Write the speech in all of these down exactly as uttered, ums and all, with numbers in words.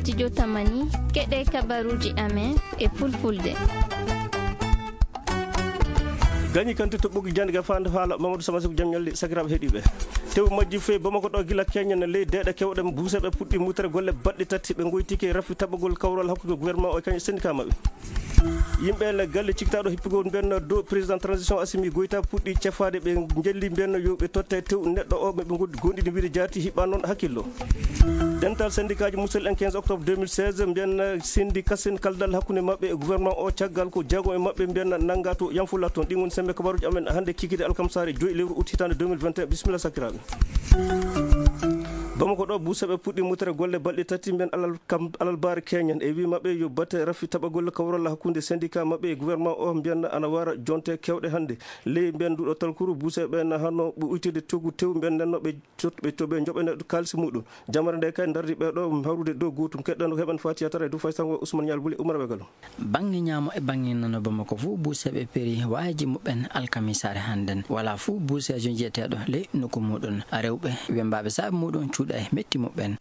Studio Tamani, keɗe kabaruji amen e fulfulde. Gañi kanti to ɓoggi jannde ga faande haala Mamadou Sama Sow, jam ñalli sakiraaɓe heɗiiɓe. Tew majji fee Bamako ɗo gila keñen ley deeɗe kewɗe buuseɓe puɗɗi mutere golle baɗɗe tati ɓe ngoytike rafi taɓagol kawral hakkunde gouvernement o e kañum syndicat maɓɓe. Yimɓe le galle cikkitaaɗo hippugol mbenno dow président transition Assimi Goïta puɗɗi cefaade ɓe njelli mbenno yo ɓe totte tew neɗɗo o ɓe ngoddi gonɗini wiide jaati hiɓɓa noon hakkillo. Dental syndicat ji musel en quinze octobre deux mille seize mbiyen sindi kasen kaldal hakkunde maɓɓe e gouvernement o caggal ko jeegom e maɓɓe mbiyen nannga to Yamfulla toon. Ɗin woni sembe kabaruji amen hannde kikide alkamsaare joyi lewru août hitaande deux mille vingt et un. Bisimilla sakiraaɓe. Bamako ɗo buuseɓe puɗɗi mutere golle balɗe tati mbiyen alal kam alal baare keñen e wi maɓɓe yo batte rafi taɓagol kawral hakkunde syndicat maɓɓe e gouvernement o mbiyen ana wara jonte kewɗe hannde. Ley mbiyen nduɗo talkuru buuseɓe na hanno ɓe uytede togu tew mbiyen nenno ɓe cot- ɓe to ɓe joɓene kaalisi muɗum. Jamare nde kay dardi ɓe ɗo hawrude dow gotum keɗɗano heɓen fatiya tara e du faysango Ousmane Ñal Buli Umar Wegalo. Bannge ñaamo e bannge nano Bamako fuu buuseeɓe peri waayeeji muɓɓen alkamisaare hannden. Walaa fuu buuseejo njiyeteeɗo ley nokku muuɗum. Rewɓe wembaaɓe saabe muuɗum cuuɗa e metti muɓɓen.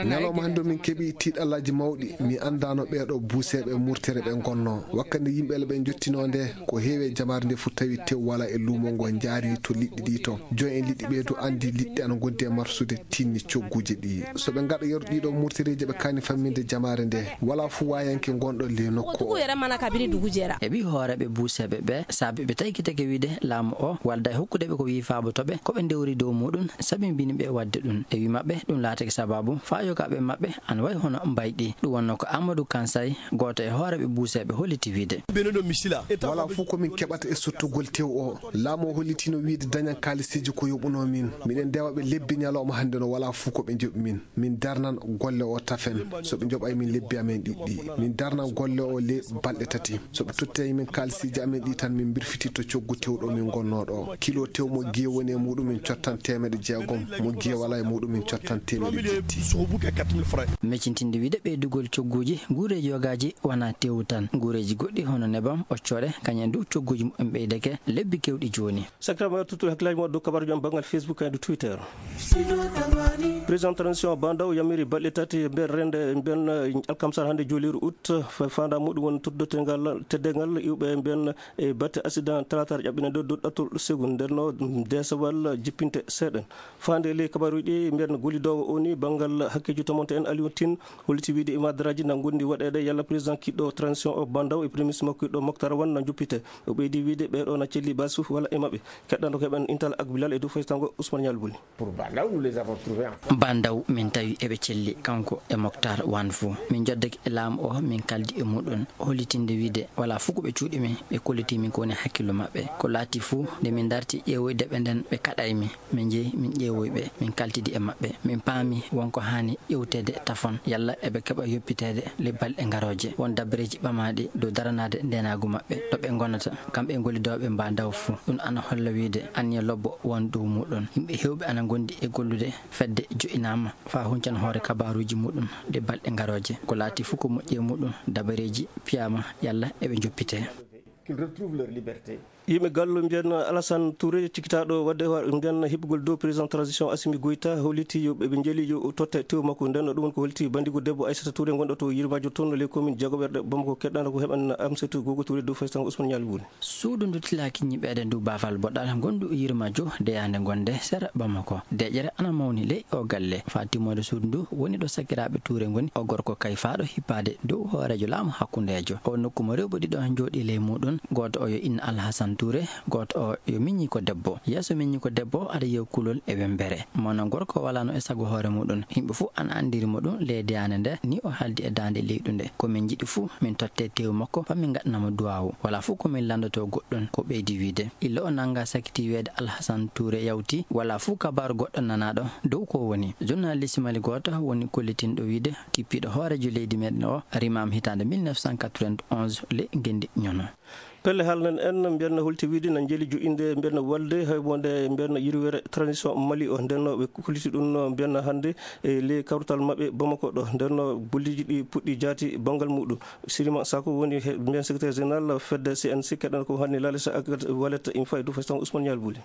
Ñalawma hannde min keɓi tiiɗallaaji mawɗi. Mi anndaano ɓeeɗo buuseeɓe murtere ɓe ngonnoo. Wakkati yimɓe le ɓe njottinoo nde, ko heewi e jamaare nde fof tawi tew walaa e luumo ngo njaari to liɗɗi ɗi to. Joom en liɗɗi ɓee du anndi liɗɗi ana ngondi e marsude tinni cogguuji ɗi. So ɓe ngaɗa yeru ɗiɗo murtereeji ɓe kaani famminde jamaare nde, walaa fuu waayanke ngonɗo le nokku o. Dugu yɛrɛ mana kabiri dugu jɛra. E ɓi hooreeɓe buuseeɓe ɓe, saabe ɓe taykitake wiide laamu o walda e hokkude ɓe ko wii faabo to ɓe, ko ɓe ndewri dow muuɗum, sabi mbini ɓe waɗde ɗum. E wi maɓɓe, ɗum laatake sabaabu faa yogaaɓe maɓɓe ana wayi hono mbayɗi. Ɗum wonno ko Amadou Kansay, gooto e hooreeɓe buuseeɓe holliti wiide. Walaa fuu ko min keɓata e sottugol tew o. Laamu o hollitino wiide dañan kaalisiiji ko yoɓunoo min. Miɗen ndewa ɓe lebbi ñalawma hannde no walaa fuu ko ɓe njoɓi min. Min darnan golle o tafen. So ɓe njoɓay min lebbi amen ɗiɗɗi. Min darnan golle o le balɗe tati. So ɓe tottay min kaalisiiji amen ɗi tan min mbirfititto coggu tew ɗo min ngonnoo ɗo. Kilo tew mo giye woni e muuɗum min cottan teemedde jeegom. Mo giye walaa e muuɗum min cottan teemedde jetti. Meccintinde wiide ɓeydugol cogguuji, nguureeji yogaaji wonaa tew tan. Nguureeji goɗɗi hono nebam, occoore, kañum en du cogguuji muɓɓen ɓeydake lebbi kewɗi jooni. Sakiraaɓe, tuttuɗo hakkillaaji mon dow kabaruuji am banngal Facebook e dow Twitter. Président transition Bandaw yamiri balɗe tati e nder rende e mbiyen, eh, alkamsar hannde jooliiru août, fa-, faandaa muɗum woni tottude teddeengal, teddeengal iwɓe e mbiyen e batte accident talaataare ƴaɓɓinande dow ɗattol seconde. Nden no deesewal jippinte seeɗen. Faande ley kabaruuji ɗi mbiyen gollidoowo o ni banngal hakkeeji tomonte en Aliou Tine holliti wiide e madaraaji na ngondi waɗeede yalla président kiɗɗo transition o Bandaw e premier ministre makko kiɗɗo Moctar Wan na njoppite. O ɓeydi wiide ɓee ɗo na celli baasu walla e maɓɓe. Keɗɗanɗo ko heɓen Intal ak Bilal e dow faytango Ousmane Ñal Buli. Pour Bandaw, nous les avons trouvés en Bandaw min tawi eɓe celli kanko e Moctar Wan fuu. Min njoddake e laamu o, min kaldi e muɗum, hollitinde wiide walaa fuu ko ɓe cuuɗi min, ɓe kolliti min ko woni hakkillo maɓɓe. Ko laati fuu, nde min darti ƴeewoyde ɓe nden, ɓe kaɗay mi. Min njehi, min ƴeewoyi ɓe, min kaltidi e maɓɓe. Min paami won ko haani ƴeewteede tafon, yalla eɓe keɓa yoppiteede le balɗe ngarooje. Won dabareeji ɓamaaɗi dow daranaade ndeenaagu maɓɓe, ɗo ɓe ngonata, kamɓe e gollidooɓe Bandaw fuu. Ɗum ana holla wiide anniya lobbo won dow muɗum. Yimɓe heewɓe ana ngondi e gollude, fedde jo'inaama faa huncan hoore kabaaruuji muɗum ɗe balɗe ngarooje. Ko laati fuu ko moƴƴi e muɗum, dabareeji piyaama yalla eɓe njoppitee. Qu'ils retrouvent leur liberté. Yimɓe gallo mbiyen Alassane Touré, cikkitaaɗo waɗde wa-, mbiyen hiɓɓugol dow président transition Assimi Goïta, holliti yo ɓe, ɓe njeeli yo totte tew makko. Nden ɗum woni ko holliti banndigo debbo Aissata Touré, gonɗo to Yirmajo toon, les communes jeegoɓerɗe Bamako. Keɗɗaano ko heɓen Amsatou Gogo Touré dow faysan Ousmane Ñal Buli. Suudu ndu tilaaki ñiɓeede ndu baafal boɗal ngondu Yirmajo deyaande gonde sera Bamako. Deƴere ana mawni ley o galle. Faa timmoode suudu ndu woni ɗo sakiraaɓe Touré ngoni. O gorko kayfaaɗo hippaade dow hooreejo laamu hakkundeejo. O nokku mo rewɓe ɗiɗo njooɗi ley muuɗum. Gooto o yo inna Alhasan Touré, gooto o yo miññi ko debbo. Yeeso miññi ko debbo, aɗa yiya kulol e wembere. Mono gorko walaano e sago hoore muuɗum. Yimɓe fuu ana anndiri mo ɗum ley deyaande nde, ni o haaldi e daande leyɗu nde. Ko min njiɗi fuu, min totte teewu makko, faa min ngaɗana mo duwaawu. Walaa fuu ko min lanndotoo goɗɗum, ko ɓeydi wiide. Illa o nannga sakiti wiyeede Alhasan Touré yawti, walaa fuu kabaaru goɗɗo nanaaɗo dow ko woni. Journaliste Mali gooto woni kollitinɗo wiide, kippiiɗo hooreejo leydi meeɗen o, rimaama hitaande mille neuf cent quatre-vingt-onze le ngenndi ñono. Pelle haalnen en, mbiyen holti wiide na njeeli joƴƴinde mbiyen walde hay wonde mbiyen yirwere transition Mali o. Nden no ɓe kolliti ɗum no mbiyen hannde e ley kawtal maɓɓe Bamako ɗo. Nden no golleeji ɗi puɗɗi jaati banngal muɗum. Sirima Sako woni he-, mbiyen secrétaire général fedde C N C, keɗɗan ko hannde Lalisa ak Wallet Info e dow faysan Ousmane Ñal Buli.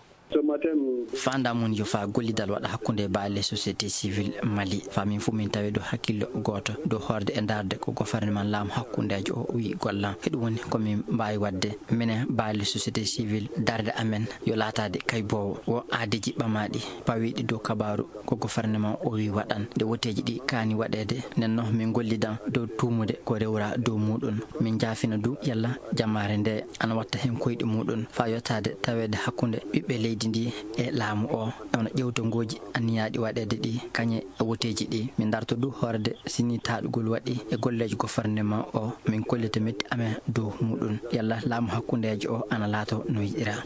Faandaare mum yo faa gollidal waɗa hakkunde baale société civile Mali. Faa min fuu min tawe dow hakkillo gooto, dow hoorde e ndaarde ko gofarneman laamu hakkundeejo o wi'i golla. Heɗum woni ko min mbaawi waɗde, minen baale société civile, darnde amen yo laataade kayboowo. Wo aadeeji ɓamaaɗi pawiiɗi dow kabaaru ko gofarneman o wi'i waɗan, nde woteeji ɗi kaani waɗeede. Nden noon min ngollidan dow tuumude ko rewraa dow muuɗum. Min njaafina du yalla jamaare nde ana watta heen koyɗi muuɗum faa yottaade taweede hakkunde ɓiɓɓe leydi ndi e laamu o, e wano ƴeewtongooji anniyaaɗi waɗeede ɗi, kañe e woteeji ɗi. Min ndarto du hoorde si nii taaɗugol waɗi e golleeji gofarneman o, min kollita metti amen dow muuɗum. Yalla laamu hakkundeejo o ana laato no yiɗiraa.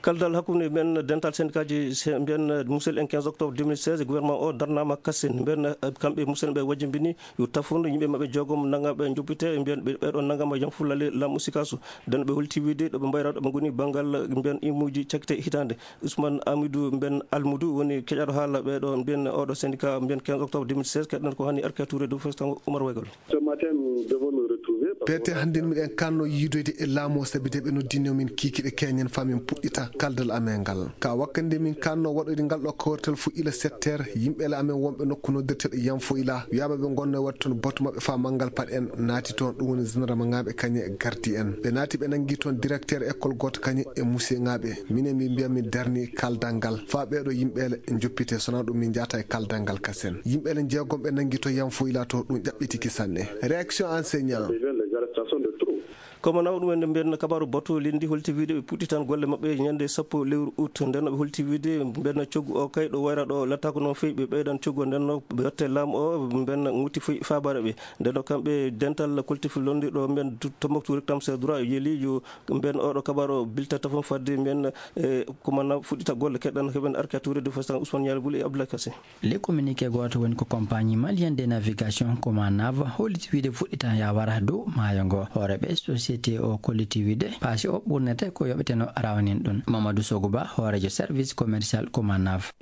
Kaldal hakkunde mbiyen dental sendikaaji, se-, mbiyen musidɓe en quinze octobre deux mille seize, gouvernement o darnaama kasen. Mbiyen, eh, kamɓe musidɓe ɓe wajjimbini yo tafon yimɓe maɓɓe jeegom nangaaɓe njoppite, mbiyen ɓe, ɓe ɗon nangama Yanfulla le Lam Usikasu. Nden ɓe holti wiide ɗo ɓe mbayra, ɗo ɓe ngoni banngal mbiyen imuuji cakkite hitaande. Ousmane Amidou mbiyen Almudou woni keƴaɗo haala ɓe ɗo mbiyen oɗo syndicat mbiyen quinze octobre deux mille seize, keɗɗen ko hani Arka Touré dow Festan Oumar Waygal. Ce matin, nous devons nous retrouver parce que Peete hannde miɗen kanno yiidoyde e laamu o, sabi de ɓe noddino min kiikiɗe keñen faa min puɗɗita kaldal amen ngal. Ka wakkati nde min kanno waɗoyde ngal ɗo kawrital fuu ila sept heures, yimɓe le amen wonɓe nokku noddirteeɗo Yanfo ila, wiyaama ɓe ngonno e waɗde toon batu maɓɓe faa manngal paɗe en naati toon, ɗum woni gendarme ŋaaɓe kañe e gardi en. Ɓe naati ɓe nanngi toon directeur école gooto kañe e monsieur ŋaaɓe. Minen min mbiya min darni kaldal ngal faa ɓee ɗo yimɓe le njoppite, sonaa ɗum min njahata e kaldal ngal kasen. Yimɓe le jeegom ɓe nanngi to Yanfo ila to ɗum ƴaɓɓitiki sanne. Réaction enseignant. Ko manaw ɗum en mbiyen kabaaru batu linndi holti wiide ɓe puɗɗitan golle maɓɓe ñande sappo lewru août. Nden no ɓe holti wiide mbiyen coggu o kay ɗo wayra ɗo lattaako noon feewi, ɓe ɓeydan coggu o. Nden no ɓe watte laamu o mbiyen ŋutti foy faabaare ɓe. Nden no kamɓe dental collectif lonndi ɗo mbiyen Tombouctou Reclame ses droits yeli yo mbiyen oɗo kabaaru o bilta tafon fadde mbiyen, eh, ko manaw fuɗɗita golle. Keɗɗan heɓen Arka Touré de Festan Ousmane Nialy Bouli e Abdoulaye Kassé. Le communiqué gooto woni ko compagnie malienne de navigation Comanav holliti wiide fuɗɗita yawara dow maayo ngo. Hooreeɓe société o kolliti wiide paasi o ɓurnete ko yoɓeteno rawanin ɗum. Mamadou Soguba, hooreejo service commercial Comanav.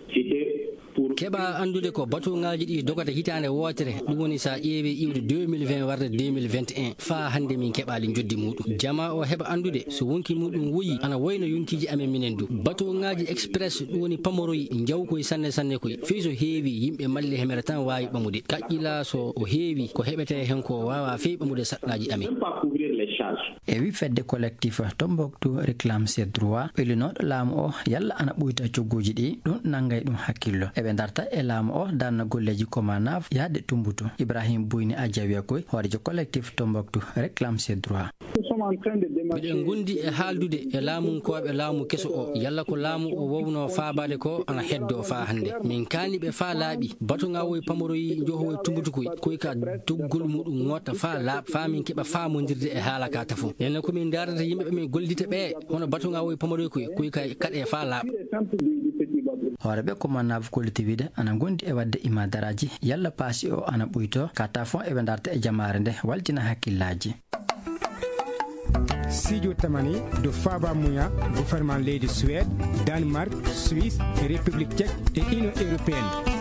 Keɓa anndude ko batuŋaaji ɗi dogata hitaande wootere, ɗum woni so a ƴeewi iwde deux mille vingt warde deux mille vingt et un, faa hannde min keɓaali njoddi muuɗum. Jamaa o heɓa anndude so wonki muuɗum woyi, ana wayno yonkiiji amen minen du. Batuŋaaji express, ɗum woni pamoroyi, njaw koy sanne sanne koy. Fey so heewi, yimɓe Mali hemere tan waawi ɓamude. Kaƴƴila so o heewi, ko heɓetee heen ko waawaa fey ɓamude saɗɗaaji amen. E wi fedde collectif Tombouctou Reclame ses droits, ɓelinooɗo laamu o yalla ana ɓuyta cogguuji ɗi, ɗum nanngay ɗum hakkillo. Eɓe ndarta e laamu o darna golleeji Comanav yaade Tumbutu. Ibrahim Bouyni Adjawiya koy, hooreejo collectif Tombouctou Reclame ses droits. Miɗen ngondi e haaldude e laamunkooɓe laamu keso o, yalla ko laamu o wowno faabaade ko ana heddoo faa hannde. Min kaani ɓe faa laaɓi, batuŋaawoy pamoroyi njohowoy tumbutukoy, koy ka doggol muɗum ŋoota faa laaɓ, faa min keɓa faamondirde e haala ka tafo. Enen ko min ndaarata yimɓe ɓe min gollidita ɓe, hono batuŋaawoy pamoroy koy, koy ka kaɗe faa laaɓ. Hooreeɓe Comanav kolliti wiide ana ngondi e waɗde imaadaraaji, yalla paasi o ana ɓuyto, ka tafon eɓe ndarta e jamaare nde, waltina hakkillaaji. Sijo tamani do faba muya, gouvernement leydi Suède, Danemark, Suisse, République Tchèque et Union Européenne.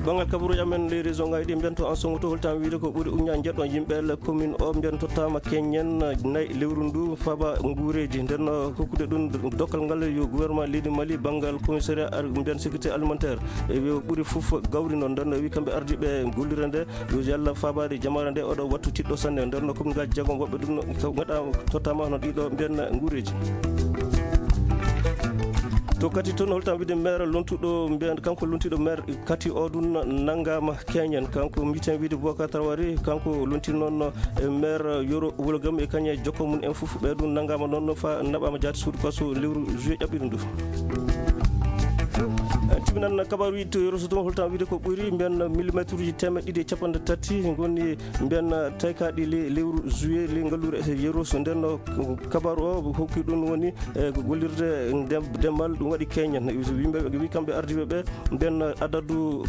Banngal kabaruuji amen ley région ngaji ɗi mbiyen to en ce moment to holtan wiide ko ɓuri uña jeɗɗon yimɓe le commune o mbiyen tottama keñen nayi lewru ndu faba nguureji. Nden hokkude ɗum dokkal ngal yo gouvernement leydi Mali banngal commissariat ar-, mbiyen sécurité alimentaire. E ɓuri fof gawri noon. Nden wi kamɓe ardiɓe gollirde nde yo yalla faabaade jamaare nde oɗo wattu tiɗɗo sanne. Nder no commune ngaji jeegom woɓɓe ɗum no ngaɗa tottama hono ɗiɗo mbiyen nguureji. To Kati toon holtan wiide maire lontuɗo mbiyen kanko lontiɗo maire Kati o ɗum nanngama keñen. Kanko mbiten wiide Boubacar Traoré, kanko lonti noon e maire Yoro Wulagam e kañe jokko mum en fof ɓe ɗum nanngama noon fa naɓama jaati suudu kaso lewru juillet ƴaɓɓiɗo ndu. Tibinan kabaru to Yoro Soto holtan wiide ko ɓuri mbiyen millimétre uji teemeɗɗe ɗiɗi e capanɗe tati ngoni mbiyen taykaɗi le-, lewru juillet le ngallure e Yoro. So nden kabaru o hokki ɗum woni e gollirde ndem-, demal ɗum waɗi keñen. Yimɓe ɓe wi kamɓe ardiɓe ɓe mbiyen adadu,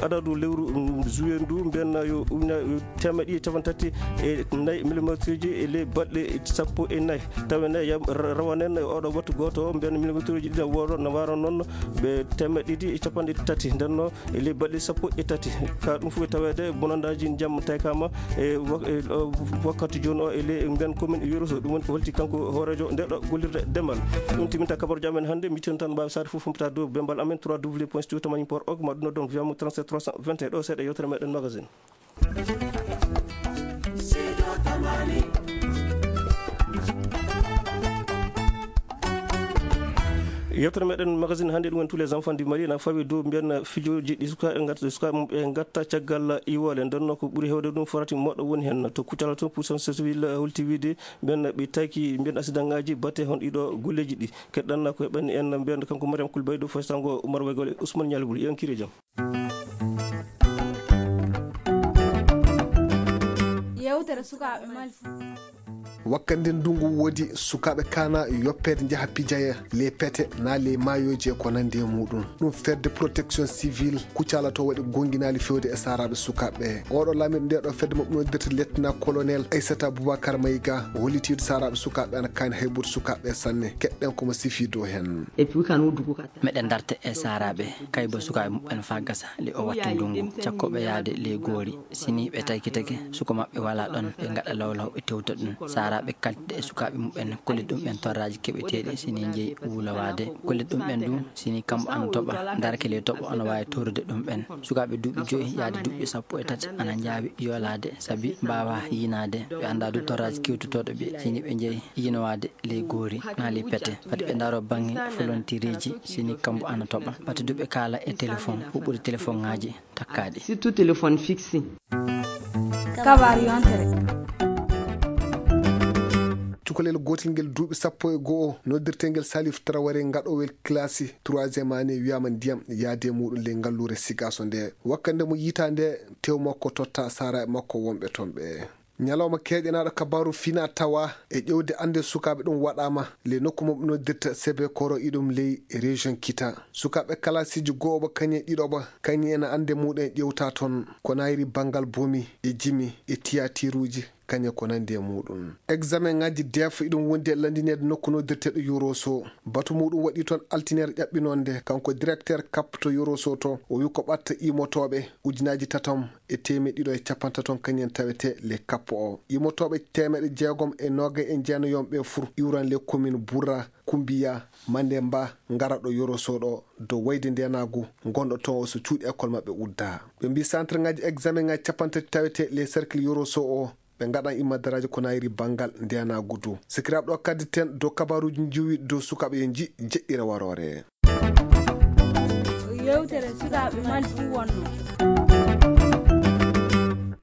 adadu lewru, mm, juillet ndu mbiyen yo uña-, yo teemeɗɗe ɗiɗi e capanɗe tati e nayi millimétre uji e le balɗe sappo e nayi. Tawa ne yam-, ra-, rawanen e oɗo wattu gooto o mbiyen millimétre uji ɗiɗi woro no waro noon Ɓe teemeɗɗe ɗiɗi e capanɗe tati ndenno e ley balɗe sappo e tati. Ka ɗum fof e taweede bonandaaji ndiyam taykama e wak-, e, o, wakkati jooni o e ley mbiyan commune e Yoro Sow. Ɗum woni ko holti kanko hooreejo nde ɗo gollirde demal. Ɗum timinta kabaruuji amen hannde. Mitten tan mbaawi saare fof humpita dow bembal amen trois w point studio tamani point org, ma ɗum noddon via mo trente-sept trois cent vingt et un. Ɗo seeɗa yewtere meɗen magazine. Yewtere meɗen magazine hannde ɗum woni tous les enfants du Mali na fawi dow mbiyan fijooji ɗi sukaaɓe ngat-, sukaaɓe mum ɓe ngatta caggal iwole. Nden noon ko ɓuri heewde ɗum forati moɗo woni heen to Kucala to puissance civile holti wiide mbiyan ɓe tayki mbiyan accident ngaji batte hon ɗiɗo golleji ɗi. Keɗɗan ko heɓani en mbiyan kanko Mariam Kulbaydo Faye Sango Umar Waygol e Ousmane Ñalibul. Yankire jam. Yewtere sukaaɓe Mali. Wakkande ndungu woodi sukaaɓe kana yoppede njaha pijaya le pete na le mayoji e ko nandi e muɗum. Ɗum fedde protection civile Kucala to waɗi gonginaali fewde e saraɓe sukaaɓe. Oɗo laamiɗo nde ɗo fedde maɓɓe noddirta lieutenant colonel Aissata Boubacar Maïga o hollitiiɗo saraɓe sukaaɓe ana kaani haybude sukaaɓe sanne. Keɗɗen komo sifi dow hen. Et puis kan wuddu ko kata. Meɗen darta e saaraaɓe kayba sukaaɓe muɓɓen faa gasa le o wattu ndungu. Cakkooɓe yahde ley goori, si nii ɓe tawki tagi suka maɓɓe walaa ɗon, ɓe ngaɗa lawlaw ɓe tewta ɗum. Saaraaɓe kaltida e sukaaɓe muɓɓen, kollit ɗumɓen torraaji keɓeteeɗi si nii njeyi wulowaade. Kollit ɗumɓen du si nii kambo ana toɓa, darke ley toɓo ana waawi torrude ɗumɓen. Sukaaɓe duuɓi joyi yahde duuɓi sappo e tati ana njaawi yoolaade sabi mbaawaa yiinaade. Ɓe anndaa du torraaji kewtotooɗo ɓe si nii ɓe njeyi yiinowaade ley goori naa ley pete. Fati ɓe ndaaroo baŋŋe folontireeji si nii kambo ana toɓa. Fati du ɓe kaala e telefoŋ, huɓɓude telefoŋaaji takkaaɗi. Surtout téléphone fixe. Kabaar yontere. Cukalel gootel ngel duuɓi sappo e go'o noddirtengel Salif Traoré ngaɗowel kilasi troisième année wiyaama ndiyam yaade muɗum ley ngalluure Sigaso nde. Wakkande mo yiita nde tew makko totta saaraaɓe makko wonɓe toon ɓe. Ñalawma keeƴanaaɗo kabaaru fina tawa e ƴewde annde sukaaɓe ɗum waɗaama le nokku mo ɓe noddirta Sebe Koro iɗum ley région Kita. Sukaaɓe kalasiiji go'oɓa kañe ɗiɗoɓa kañe ena annde muɗum e ƴewta toon ko nayri banngal bomi e jimi e tiyatiruuji kañe ko nandi e muɗum. Examen ngaji def iɗum wondi e landineede nokku noddirteeɗo Yoroso. Batu muɗum waɗi toon altiniere ƴaɓɓinoonde kanko directeur kap to Yoroso to o wi ko ɓatta imotooɓe ujunaaji tatam e teemeɗɗe ɗiɗo e capantaton kañum en tawete le kappo o. Yimotooɓe teemeɗɗe jeegom e noogay e jeenayoom ɓe fur iwran le commune Burra, Kumbiya, Mandemba, ngara ɗo Yoroso ɗo dow wayde ndenaagu ngonɗo toon o so cuuɗi école maɓɓe udda. Ɓe mbi centre ngaji examen ngaji capantati tawete le cercle Yoroso o ɓe ngaɗan immadaraaji ko nayri banngal ndenaagu du. Sikiraaɓe ɗo kaddi ten dow kabaruuji njiwi dow sukaaɓe yo nji jeɗɗira waroore. Yewtere sukaaɓe Mali fuu wonno.